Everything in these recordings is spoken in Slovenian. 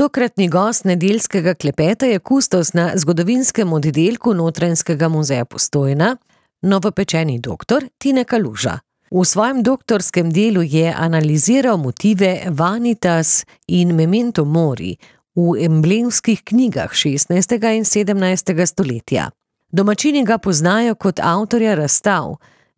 Tokratni gost nedeljskega klepeta je kustos na zgodovinskem oddelku Notranjskega muzeja Postojna, novopečeni doktor Tine Kaluža. V svojem doktorskem delu je analiziral motive Vanitas in Memento Mori v emblemskih knjigah 16. in 17. stoletja. Domačini ga poznajo kot avtorja razstav.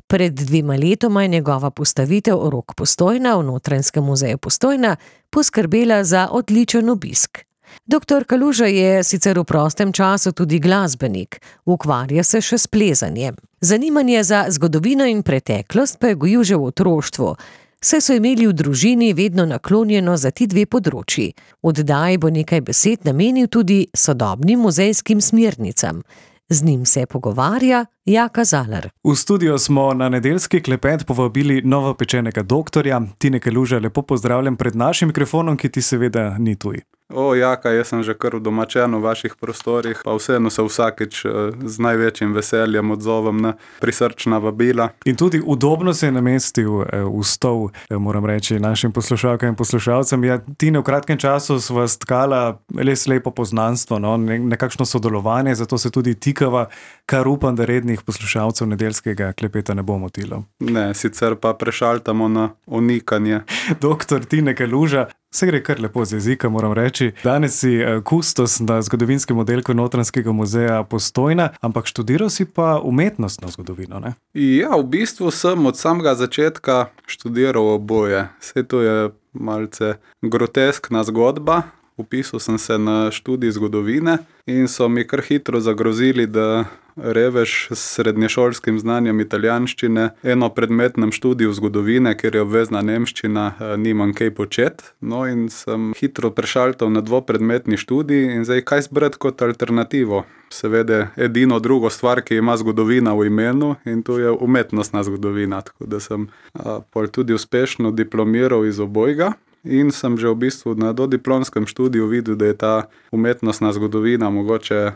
Pred 2 letoma je njegova postavitev Rok Postojna v Notranjskem muzeju Postojna poskrbela za odličen obisk. Doktor Kaluža je sicer v prostem času tudi glasbenik, ukvarja se še s plezanjem. Zanimanje za zgodovino in preteklost pa je gojil že v otroštvu, saj so imeli v družini vedno naklonjeno za ti 2 področji. Oddaji bo nekaj besed namenil tudi sodobnim muzejskim smernicam. Z njim se pogovarja Jaka Zalar. V studio smo na nedeljski klepet povabili novopečenega doktorja. Tine Kaluža, lepo pozdravljam pred našim mikrofonom, ki ti seveda ni tuj. Jaka, jaz sem že kar udomačen v vaših prostorih, pa vseeno se vsakič z največjim veseljem odzovem na prisrčna vabila. In tudi udobno se je namestil v stol, moram reči, našim poslušalkam in poslušalcem. Ja, Tine, v kratkem času sva stkala res lepo poznanstvo, nekakšno sodelovanje, zato se tudi tikava, kar upam, da rednih poslušalcev nedeljskega klepeta ne bo motilo. Ne, sicer pa prešaltamo na onikanje. Doktor Tine Kaluža, se gre kar lepo z jezika, moram reči. Danes si kustos na zgodovinskem oddelku Notranjskega muzeja Postojna, ampak študiral si pa umetnostno zgodovino, ne? Ja, v bistvu sem od samega začetka študiral oboje. Saj to je malce groteskna zgodba. Vpisal sem se na študij zgodovine in so mi kar hitro zagrozili, da revež s srednješolskim znanjem italijanščine eno predmetnem študiju zgodovine, ker je obvezna nemščina, nimam kaj početi. No in sem hitro prešaltal na 2-predmetni študij in zdaj kaj zbrati kot alternativo. Seveda edino drugo stvar, ki ima zgodovina v imenu, in to je umetnostna zgodovina, tako da sem pol tudi uspešno diplomiral iz obojga. In sem že v bistvu na dodiplomskem študiju videl, da je ta umetnostna zgodovina mogoče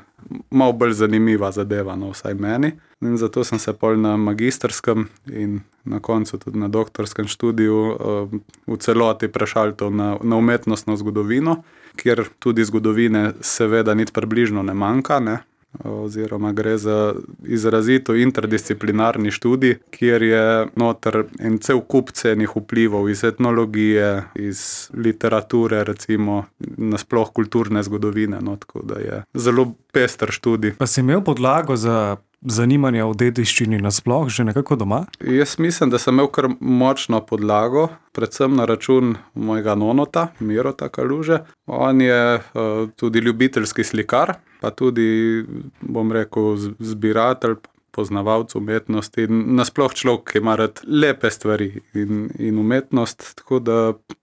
malo bolj zanimiva zadeva, vsaj meni. In zato sem se pol na magistrskem in na koncu tudi na doktorskem študiju v celoti prešaltal na umetnostno zgodovino, kjer tudi zgodovine seveda niti približno ne manjka, ne? Oziroma gre za izrazito interdisciplinarni študij, kjer je noter en cel kup cenih vplivov iz etnologije, iz literature, recimo nasploh kulturne zgodovine, tako da je zelo pester študij. Pa si imel podlago za zanimanje o dediščini nasploh že nekako doma? Jaz mislim, da sem imel kar močno podlago, predvsem na račun mojega nonota, Mirota Kaluže. On je tudi ljubiteljski slikar, pa tudi, bom rekel, zbiratelj, poznavalec umetnosti in nasploh človek, ki ima rad lepe stvari in umetnost, tako da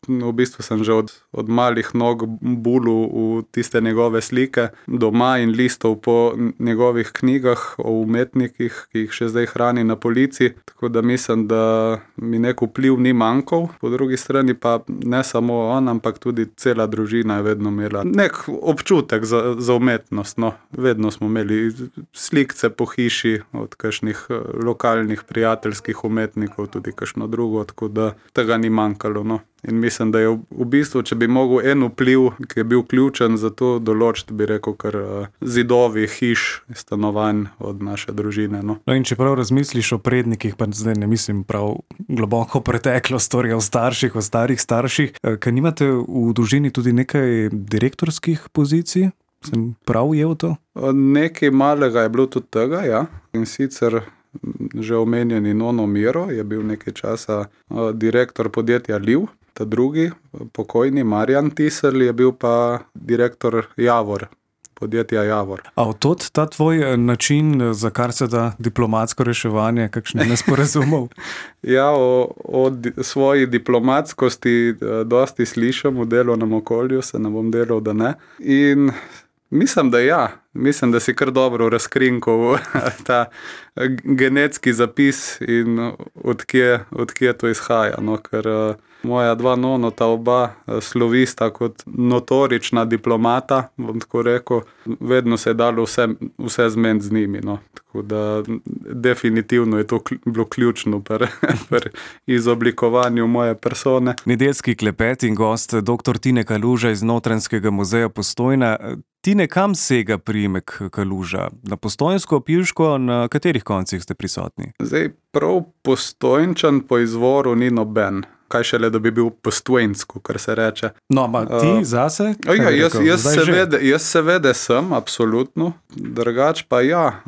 v bistvu sem že od malih nog bulil v tiste njegove slike doma in listov po njegovih knjigah o umetnikih, ki jih še zdaj hrani na polici, tako da mislim, da mi nek vpliv ni manjkal. Po drugi strani pa ne samo on, ampak tudi cela družina je vedno imela nek občutek za umetnost, Vedno smo imeli slikce po hiši od kakšnih lokalnih prijateljskih umetnikov, tudi kakšno drugo, tako da tega ni manjkalo, In mislim, da je v bistvu, če bi mogel en vpliv, ki je bil ključen za to določiti, bi rekel, kar zidovi, hiš, stanovanj od naše družine, In če prav razmisliš o prednikih, pa zdaj ne mislim prav globoko preteklost, torej o starših, o starih starših, kaj nimate v družini tudi nekaj direktorskih pozicij? Sem prav ujel to? Nekaj malega je bilo tudi tega, ja. In sicer že omenjeni Nono Miro je bil nekaj časa direktor podjetja Liv, ta drugi, pokojni Marjan Tiselj, je bil pa direktor Javor, podjetja Javor. A od tod ta tvoj način, za kar se da diplomatsko reševanje, kakšnih nesporazumov? Ja, o svoji diplomatskosti dosti slišam v delovnem okolju, se ne bom delal, da ne. In mislim, da ja. Mislim, da si kar dobro razkrinkal ta genetski zapis in odkje to izhaja. Ker moja dva nonota, oba slovista kot notorična diplomata, bom tako rekel. Vedno se je dalo vse zmeniti z njimi. No. Tako da definitivno je to bilo ključno pri izoblikovanju moje persone. Nedeljski klepet in gost dr. Tine Kaluža iz Notranjskega muzeja Postojna. Tine, kam sega priimek Kaluža? Na Postojnsko, Pilško, na katerih koncih ste prisotni? Zdaj, prav Postojnčan po izvoru ni noben. Kaj šele, da bi bil Postojnsko, kar se reče. No, ama ti zase? Jaz seveda sem, absolutno. Drugač pa ja,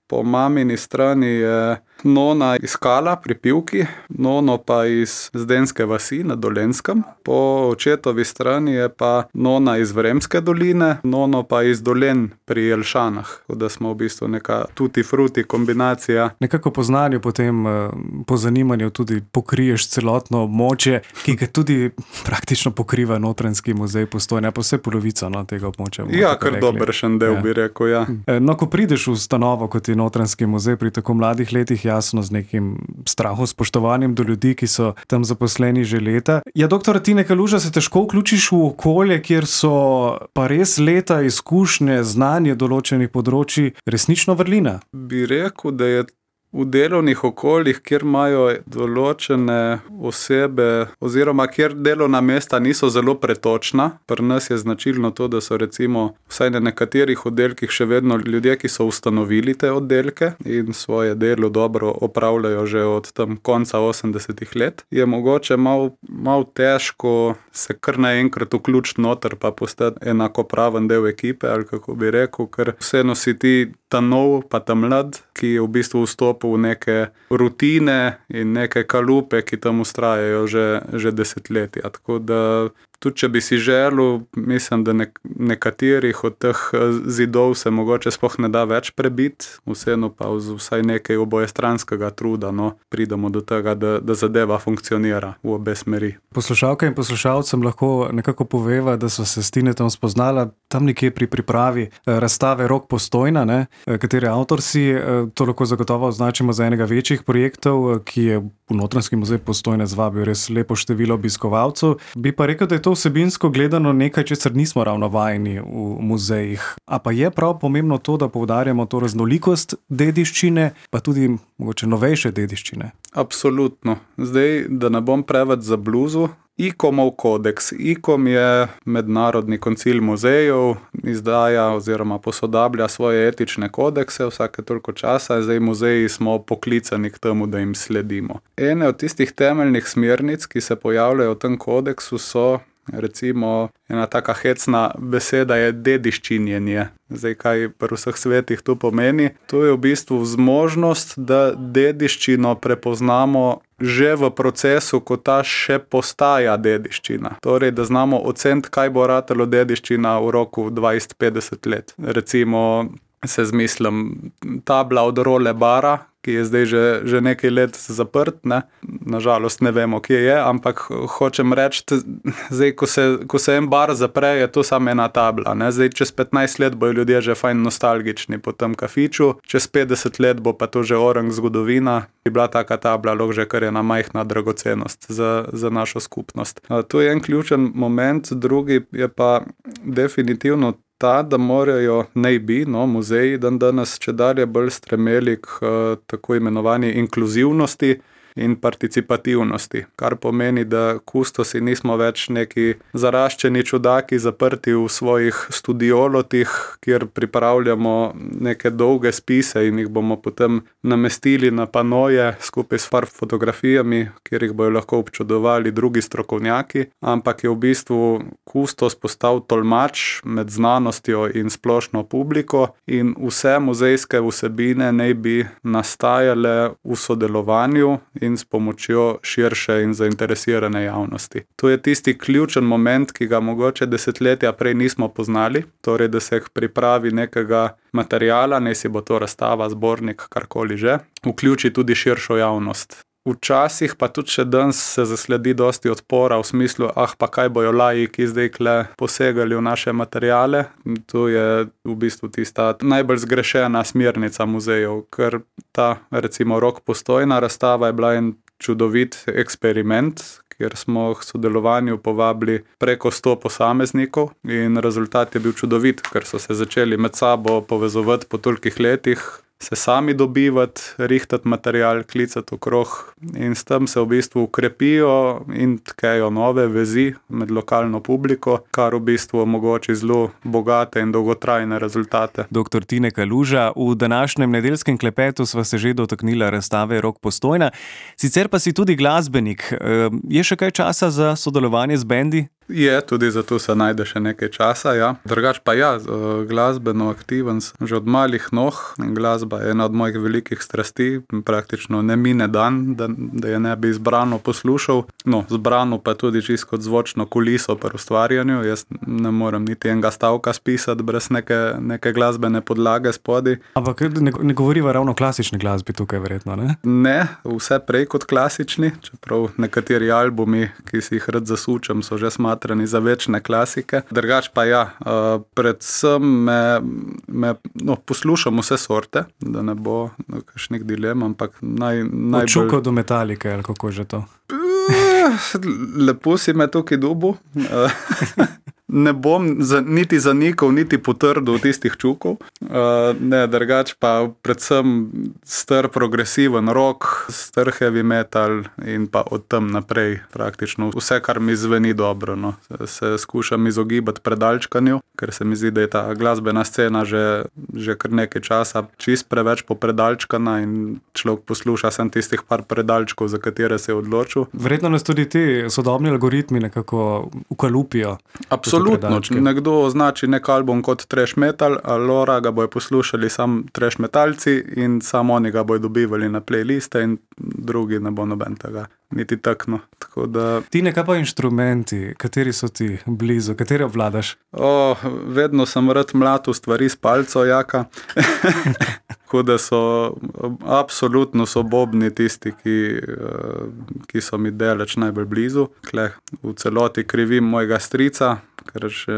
po mamini strani je nona iz Kala pri Pivki, nono pa iz Zdenske vasi na Dolenjskem. Po očetovi strani je pa nona iz Vremske doline, nono pa iz Dolen pri Jelšanah. Da smo v bistvu neka tutti frutti kombinacija. Nekako po znanju potem, po zanimanju tudi pokriješ celotno območje, ki ga tudi praktično pokriva Notranjski muzej Postojna, pa vse polovico tega območja. Ja, kar dobršen del bi rekel, ja. No, ko prideš v ustanovo, kot je Notranjski muzej pri tako mladih letih, jasno z nekim strahom, spoštovanjem do ljudi, ki so tam zaposleni že leta. Ja, doktor Tine Kaluža, se težko vključiš v okolje, kjer so pa res leta izkušnje, znanje določenih področji resnično vrlina? Bi rekel, da je v delovnih okoljih, kjer imajo določene osebe oziroma kjer delovna mesta niso zelo pretočna. Pri nas je značilno to, da so recimo vsaj na nekaterih oddelkih še vedno ljudje, ki so ustanovili te oddelke in svoje delo dobro opravljajo že od tam konca 80-ih let. Je mogoče malo težko se kar naenkrat vključiti noter pa postati enakopraven del ekipe, ali kako bi rekel, ker vseeno si ti ta nov pa ta mlad, ki je v bistvu vstopil v neke rutine in neke kalupe, ki tam ustrajajo že desetletja. Tako da tudi če bi si želel, mislim, da nekaterih od teh zidov se mogoče sploh ne da več prebiti, vseeno pa vsaj nekaj obojestranskega truda, pridemo do tega, da zadeva funkcionira v obe smeri. Poslušalka in poslušalcem lahko nekako poveva, da so se s Tinetom spoznala tam nekje pri pripravi razstave Rok Postojna, katere avtor si, to lahko zagotovo označimo za enega večjih projektov, ki je v Notranjski muzej Postojna zvabil res lepo število obiskovalcev. Bi pa rekel, da je to vsebinsko gledano nekaj, česar nismo ravno vajeni v muzejih. A pa je prav pomembno to, da poudarjamo to raznolikost dediščine, pa tudi mogoče novejše dediščine? Absolutno. Zdaj, da ne bom preveč za bluzu, ICOM-ov kodeks. ICOM je mednarodni koncil muzejev, izdaja oziroma posodablja svoje etične kodekse vsake toliko časa. Zdaj muzeji smo poklicani k temu, da jim sledimo. Ene od tistih temeljnih smernic, ki se pojavljajo v tem kodeksu, so recimo ena taka hecna beseda je dediščinjenje. Zdaj, kaj pri vseh svetih to pomeni? To je v bistvu zmožnost, da dediščino prepoznamo že v procesu, ko ta še postaja dediščina. Torej, da znamo oceniti, kaj bo ratalo dediščina v roku 20-50 let. Recimo, se zmislim, tabla od Role bara, ki je zdaj že nekaj let zaprt, Nažalost ne vemo, kje je, ampak hočem reči, zdaj, ko se en bar zapre, je to samo ena tabla. Zdaj, čez 15 let bojo ljudje že fajn nostalgični po tem kafiču, čez 50 let bo pa to že orang zgodovina, bi bila taka tabla lahko že kar ena majhna dragocenost za našo skupnost. To je en ključen moment, drugi je pa definitivno ta, da morajo muzeji danes čedalje bolj stremeli k tako imenovani inkluzivnosti in participativnosti, kar pomeni, da kustosi nismo več neki zaraščeni čudaki zaprti v svojih studiolotih, kjer pripravljamo neke dolge spise in jih bomo potem namestili na panoje skupaj s fotografijami, kjer jih bojo lahko občudovali drugi strokovnjaki, ampak je v bistvu kustos postal tolmač med znanostjo in splošno publiko in vse muzejske vsebine naj bi nastajale v sodelovanju in s pomočjo širše in zainteresirane javnosti. To je tisti ključen moment, ki ga mogoče desetletja prej nismo poznali, torej da se pripravi nekega materiala, naj si bo to razstava, zbornik, karkoli že, vključi tudi širšo javnost. Včasih pa tudi še danes se zasledi dosti odpora v smislu, pa kaj bojo laiki zdaj kle posegali v naše materiale. To je v bistvu tista najbolj zgrešena smernica muzejev, ker ta recimo Rok Postojna razstava je bila en čudovit eksperiment, kjer smo k sodelovanju povabili preko 100 posameznikov in rezultat je bil čudovit, ker so se začeli med sabo povezovati po tolikih letih, se sami dobivati, rihtati material, klicati okrog in s tem se v bistvu ukrepijo in tkejo nove vezi med lokalno publiko, kar v bistvu omogoči zelo bogate in dolgotrajne rezultate. Dr. Tine Kaluža, v današnjem nedeljskem klepetu sva se že dotaknila razstave Rok Postojna, sicer pa si tudi glasbenik. Je še kaj časa za sodelovanje z bendi? Je, tudi zato se najde še nekaj časa, ja. Drugač pa ja, glasbeno aktiven sem že od malih nog. Glasba je ena od mojih velikih strasti, praktično ne mine dan, da je ne bi zbrano poslušal. No, zbrano pa tudi čisto kot zvočno kuliso pri ustvarjanju. Jaz ne morem niti enega stavka spisati brez neke glasbene podlage spodaj. Ampak ne govoriva ravno o klasični glasbi tukaj verjetno, ne? Ne, vse prej kot klasični, čeprav nekateri albumi, ki si jih rad zasučem, so že smatrani za večne klasike. Drugač pa ja, predvsem poslušam vse sorte, da ne bo kakšnih dilem, ampak najbolj... Od Čuko do Metalike, ali kako že to? Lepo si me tukaj dobil. Ne bom niti zanikal, niti potrdil tistih Čukov. Ne, drugač pa predvsem star progresiven rock, star heavy metal in pa od tam naprej praktično vse, kar mi zveni dobro. No. Se skušam izogibati predalčkanju, ker se mi zdi, da je ta glasbena scena že kar nekaj časa čist preveč popredalčkana in človek posluša sem tistih par predalčkov, za katere se je odločil. Verjetno nas tudi ti sodobni algoritmi nekako ukalupijo. Absolutno, če nekdo označi nek album kot trash metal, alora ga bojo poslušali sam trash metalci in samo oni ga bojo dobivali na playliste in drugi ne bo noben tega niti takno. Tako da... Tine, kaj pa inštrumenti? Kateri so ti blizu? Kateri obvladaš? Vedno sem rad mlatil stvari s palco, jaka. Tako da so absolutno sobobni tisti, ki so mi daleč najbolj blizu. Kleh v celoti krivim mojega strica, ker še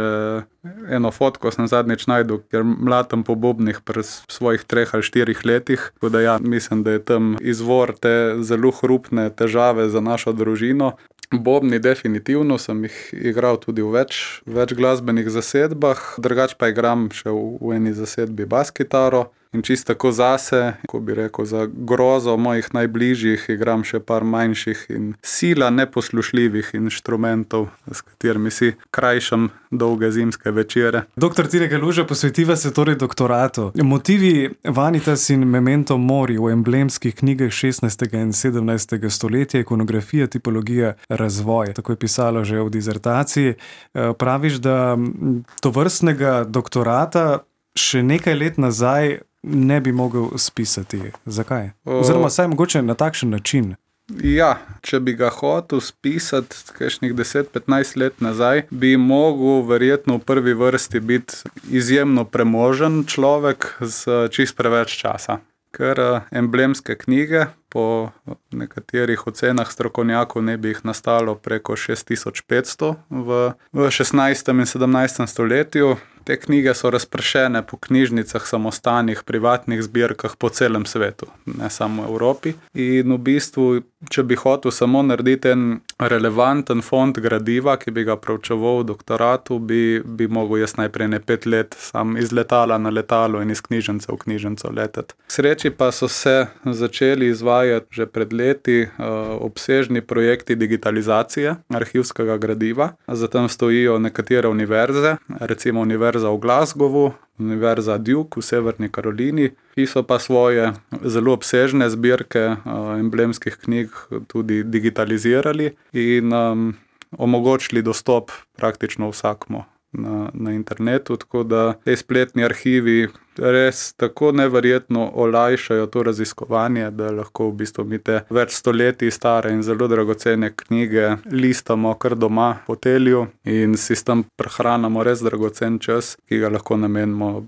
eno fotko sem zadnjič najdel, ker mlatam po bobnih pri svojih 3 ali 4 letih. Tako da ja, mislim, da je tam izvor te zelo hrupne težave za našo družino. Bobni definitivno, sem jih igral tudi v več glasbenih zasedbah, drugač pa igram še v eni zasedbi bas-kitaro. In čisto tako zase, ko bi rekel, za grozo mojih najbližjih igram še par manjših in sila neposlušljivih inštrumentov, s katerimi si krajšam dolge zimske večere. Dr. Tine Kaluža, posvetiva se torej doktoratu. Motivi Vanitas in Memento Mori v emblemskih knjigah 16. in 17. stoletja, ikonografija, tipologija, razvoj. Tako je pisalo že v dizertaciji. Praviš, da tovrstnega doktorata še nekaj let nazaj ne bi mogel spisati. Zakaj? Oziroma saj mogoče na takšen način. Ja, če bi ga hotel spisati kakšnih 10-15 let nazaj, bi mogel verjetno v prvi vrsti biti izjemno premožen človek z čist preveč časa. Ker emblemske knjige po nekaterih ocenah strokovnjakov ne bi jih nastalo preko 6500 v 16. in 17. stoletju. Te knjige so razpršene po knjižnicah, samostanih, privatnih zbirkah po celem svetu, ne samo v Evropi. In v bistvu, če bi hotel samo narediti en relevanten fond gradiva, ki bi ga proučeval v doktoratu, bi mogel jaz najprej 5 let sam iz letala na letalo in iz knjižnice v knjižnico leteti. K sreči pa so se začeli izvajati že pred leti obsežni projekti digitalizacije arhivskega gradiva. Zatem stojijo nekatere univerze, recimo Univerza v Glasgowu, Univerza Duke v Severni Karolini, ki so pa svoje zelo obsežne zbirke emblemskih knjig tudi digitalizirali in omogočili dostop praktično vsakmu na internetu, tako da te spletni arhivi res tako neverjetno olajšajo to raziskovanje, da lahko v bistvu mi te več stoletij stare in zelo dragocene knjige listamo kar doma v hotelju in si s tem prehranamo res dragocen čas, ki ga lahko namenimo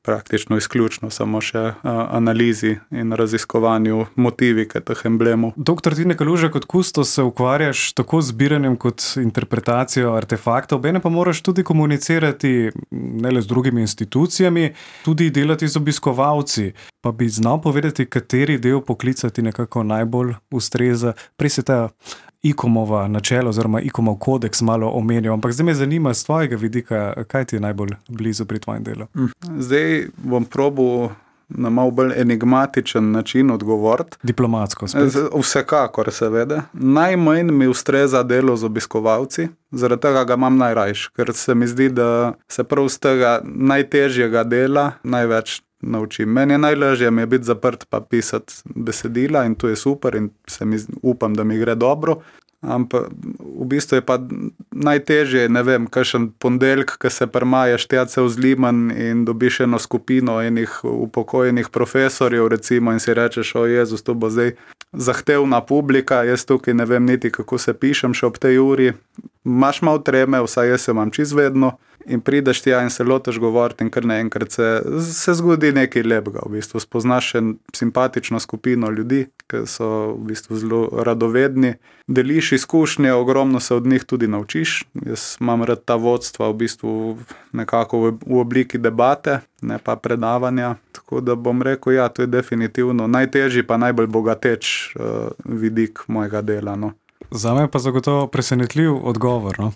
praktično izključno samo še analizi in raziskovanju motivike teh emblemov. Dr. Tine Kaluža, kot kustos se ukvarjaš tako z zbiranjem kot interpretacijo artefaktov, bene pa moraš tudi komunicirati ne le z drugimi institucijami, tudi delati z obiskovalci. Pa bi znal povedati, kateri del poklica ti nekako najbolj ustreza. Prej se ta ICOM-ova načela oziroma ICOM-ov kodeks malo omenil, ampak zdaj me zanima z tvojega vidika, kaj ti je najbolj blizu pri tvojem delu? Zdaj bom probal na malo bolj enigmatičen način odgovoriti. Diplomatsko spet. Vsekakor, seveda. Najmanj mi ustreza delo z obiskovalci, zaradi tega ga imam najrajš, ker se mi zdi, da se prav z tega najtežjega dela največ naučim. Meni je najlažje mi je biti zaprt pa pisati besedila in to je super in upam, da mi gre dobro. Ampak v bistvu je pa najtežje, ne vem, kakšen ponedeljek, ko se prmaješ tja cel Zliman in dobiš eno skupino enih upokojenih profesorjev, recimo, in si rečeš, o Jezus, to bo zdaj zahtevna publika, jaz tukaj ne vem niti, kako se pišem še ob tej uri. Imaš malo treme, vsaj jaz jo imam čisto vedno. In prideš tja in se lotiš govoriti in kar naenkrat se zgodi nekaj lepega. V bistvu spoznaš še simpatično skupino ljudi, ki so v bistvu zelo radovedni. Deliš izkušnje, ogromno se od njih tudi naučiš. Jaz imam rad ta vodstva v bistvu nekako v obliki debate, ne pa predavanja. Tako da bom rekel, ja, to je definitivno najtežji pa najbolj bogateč vidik mojega dela, no. Zame pa zagotovo presenetljiv odgovor. No?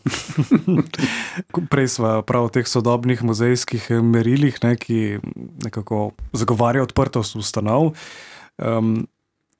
Prej sva prav o teh sodobnih muzejskih merilih, ne, ki nekako zagovarja odprtost ustanov.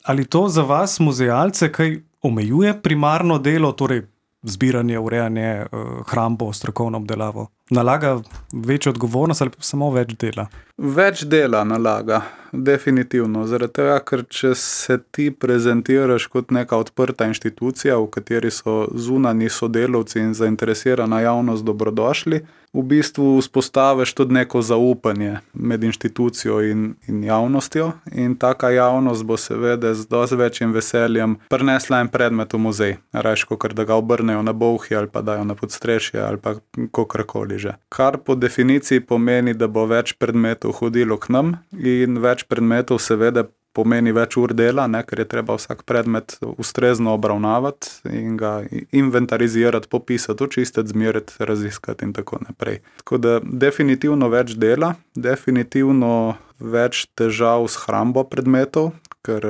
Ali to za vas, muzealce, kaj omejuje primarno delo, torej zbiranje, urejanje, hrambo, strokovno obdelavo? Nalaga večjo odgovornost ali samo več dela? Več dela nalaga, definitivno. Zaradi tega, ker če se ti prezentiraš kot neka odprta inštitucija, v kateri so zunanji sodelavci in zainteresirana javnost dobrodošli, v bistvu vzpostaviš tudi neko zaupanje med inštitucijo in javnostjo in taka javnost bo seveda z dosti večjim veseljem prinesla en predmet v muzej, rajš kakor da ga obrnejo na bolhi ali pa dajo na podstrešje ali pa kakorkoli že. Kar po definiciji pomeni, da bo več predmetov hodilo k nam in več predmetov seveda pomeni več ur dela, ne, ker je treba vsak predmet ustrezno obravnavati in ga inventarizirati, popisati, očistiti, zmeriti, raziskati in tako naprej. Tako da definitivno več dela, definitivno več težav s hrambo predmetov, ker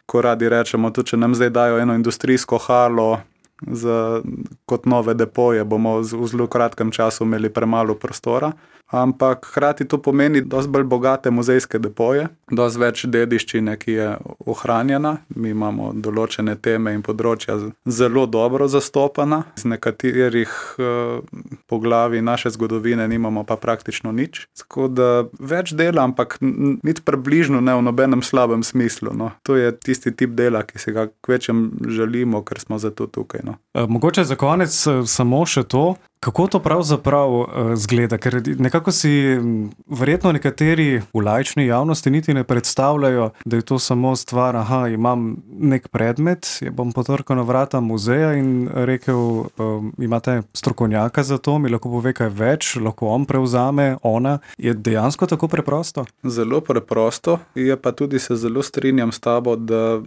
ko radi rečemo, tudi če nam zdaj dajo eno industrijsko halo kot nove depoje, bomo v zelo kratkem času imeli premalo prostora. Ampak hkrati to pomeni dosti bolj bogate muzejske depoje, dosti več dediščine, ki je ohranjena. Mi imamo določene teme in področja zelo dobro zastopana. Z nekaterih poglavij naše zgodovine nimamo pa praktično nič. Tako da več dela, ampak niti približno ne v nobenem slabem smislu. No. To je tisti tip dela, ki si ga kvečem želimo, ker smo zato tukaj. No. Mogoče za konec samo še to, kako to pravzaprav zgleda, ker nekako si verjetno nekateri v laični javnosti niti ne predstavljajo, da je to samo stvar, imam nek predmet, bom potrkal na vrata muzeja in rekel, imate strokovnjaka za to, mi lahko pove kaj več, lahko on prevzame, ona. Je dejansko tako preprosto? Zelo preprosto, je pa tudi se zelo strinjam s tabo, da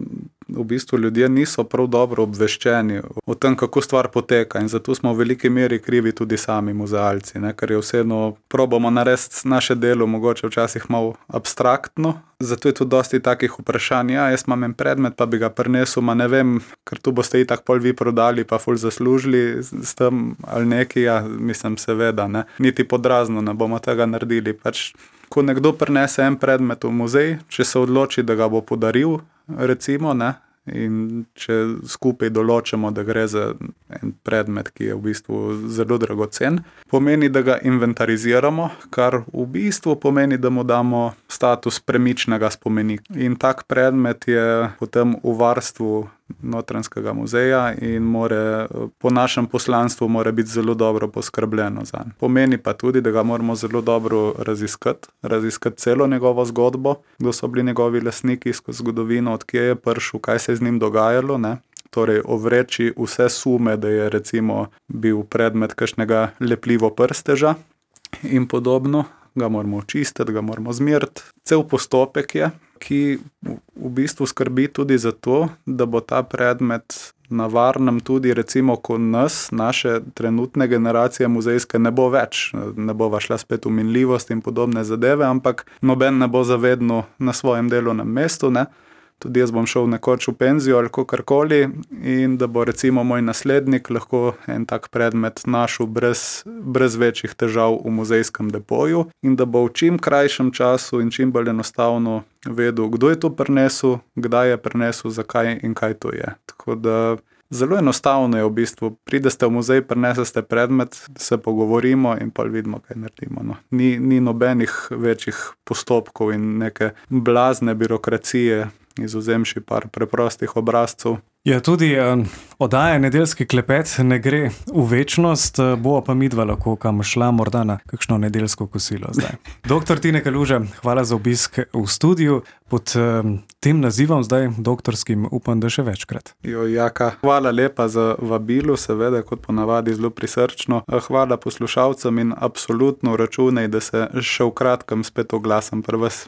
v bistvu ljudje niso prav dobro obveščeni o tem, kako stvar poteka in zato smo v veliki meri krivi tudi sami muzealci, ne? Ker je vseeno probamo narediti naše delo mogoče včasih malo abstraktno, zato je tudi dosti takih vprašanj, jaz imam en predmet, pa bi ga prinesel, ne vem, ker tu boste itak pol vi prodali, pa ful zaslužili s tem ali nekaj, mislim seveda, ne? Niti podrazno ne bomo tega naredili, pač ko nekdo prinese en predmet v muzej, če se odloči, da ga bo podaril, recimo, ne, in če skupaj določimo, da gre za en predmet, ki je v bistvu zelo dragocen, pomeni, da ga inventariziramo, kar v bistvu pomeni, da mu damo status premičnega spomenika. In tak predmet je potem v varstvu Notranjskega muzeja in po našem poslanstvu mora biti zelo dobro poskrbljeno zanj. Pomeni pa tudi, da ga moramo zelo dobro raziskati celo njegovo zgodbo, kdo so bili njegovi lastniki skozi zgodovino, odkje je prišel, kaj se je z njim dogajalo, ne? Torej ovreči vse sume, da je recimo bil predmet kakšnega lepljivo prsteža in podobno, ga moramo očistiti, ga moramo zmeriti. Cel postopek je, ki v bistvu skrbi tudi za to, da bo ta predmet na varnem tudi recimo, ko naše trenutne generacije muzejske ne bo več, ne bova šla spet v minljivost in podobne zadeve, ampak noben ne bo zavedno na svojem delovnem mestu, ne. tudi jaz bom šel nekoč v penzijo ali kakorkoli in da bo recimo moj naslednik lahko en tak predmet našel brez večjih težav v muzejskem depoju in da bo v čim krajšem času in čim bolj enostavno vedel, kdo je to prinesel, kdaj je prinesel, zakaj in kaj to je. Tako da zelo enostavno je v bistvu. Pridete v muzej, prinesete predmet, se pogovorimo in pa vidimo, kaj naredimo. No. Ni nobenih večjih postopkov in neke blazne birokracije, izvzemši par preprostih obrazcev. Ja, tudi oddaja Nedeljski klepet ne gre v večnost, bo pa midva lahko kam šla, morda na kakšno nedeljsko kosilo zdaj. Dr. Tine Kaluža, hvala za obisk v studiu. Pod tem nazivom zdaj doktorskim upam, da še večkrat. Jaka, hvala lepa za vabilo, seveda kot ponavadi zelo prisrčno. Hvala poslušalcem in absolutno računaj, da se še v kratkem spet oglasim pri vas.